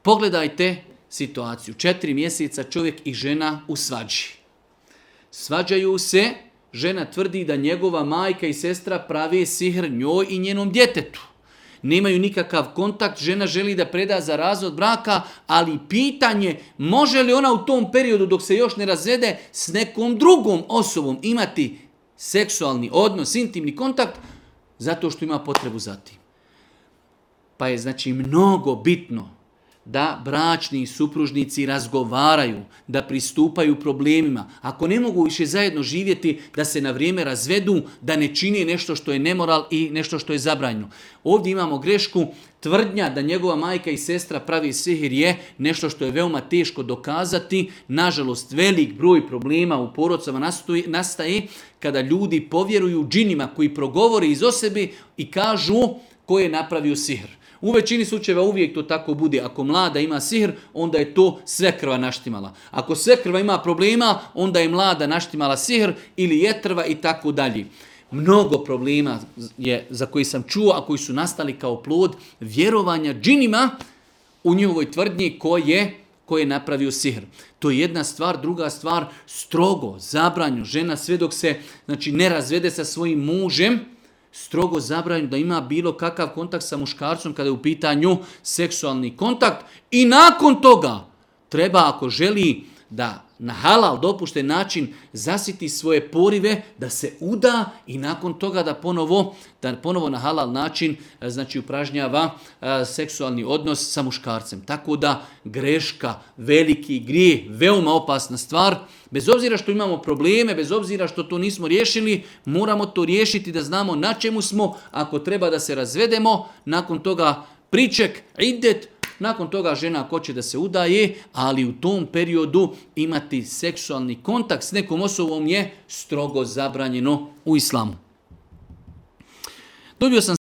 Pogledajte situaciju. 4 mjeseca čovjek i žena u svađi. Svađaju se, žena tvrdi da njegova majka i sestra prave sihr njoj i njenom djetetu. Nemaju nikakav kontakt, žena želi da preda za razvod braka, ali pitanje može li ona u tom periodu dok se još ne razvede s nekom drugom osobom imati seksualni odnos, intimni kontakt, zato što ima potrebu za tim. Pa je znači mnogo bitno da bračni supružnici razgovaraju, da pristupaju problemima. Ako ne mogu više zajedno živjeti, da se na vrijeme razvedu, da ne čine nešto što je nemoral i nešto što je zabranjeno. Ovdje imamo grešku, tvrdnja da njegova majka i sestra pravi sihir je nešto što je veoma teško dokazati. Nažalost, velik broj problema u porodicama nastaje kada ljudi povjeruju džinima koji progovore iz osobe i kažu ko je napravio sihr. U većini slučajeva uvijek to tako bude. Ako mlada ima sihr, onda je to svekrva naštimala. Ako svekrva ima problema, onda je mlada naštimala sihr ili jetrva i tako dalje. Mnogo problema je za koji sam čuo, a koji su nastali kao plod vjerovanja džinima u njihovoj tvrdnji ko je napravio sihr. To je jedna stvar. Druga stvar, strogo zabranju žena sve dok se ne razvede sa svojim mužem, strogo zabranjeno da ima bilo kakav kontakt sa muškarcom kada je u pitanju seksualni kontakt i nakon toga treba, ako želi da na halal dopušten način zasiti svoje porive, da se uda i nakon toga da ponovo na halal način upražnjava seksualni odnos sa muškarcem. Tako da greška, veliki grijeh, veoma opasna stvar. Bez obzira što imamo probleme, bez obzira što to nismo riješili, moramo to riješiti da znamo na čemu smo. Ako treba da se razvedemo, nakon toga priček, idet, nakon toga žena ako će da se udaje, ali u tom periodu imati seksualni kontakt s nekom osobom je strogo zabranjeno u islamu. Dobio sam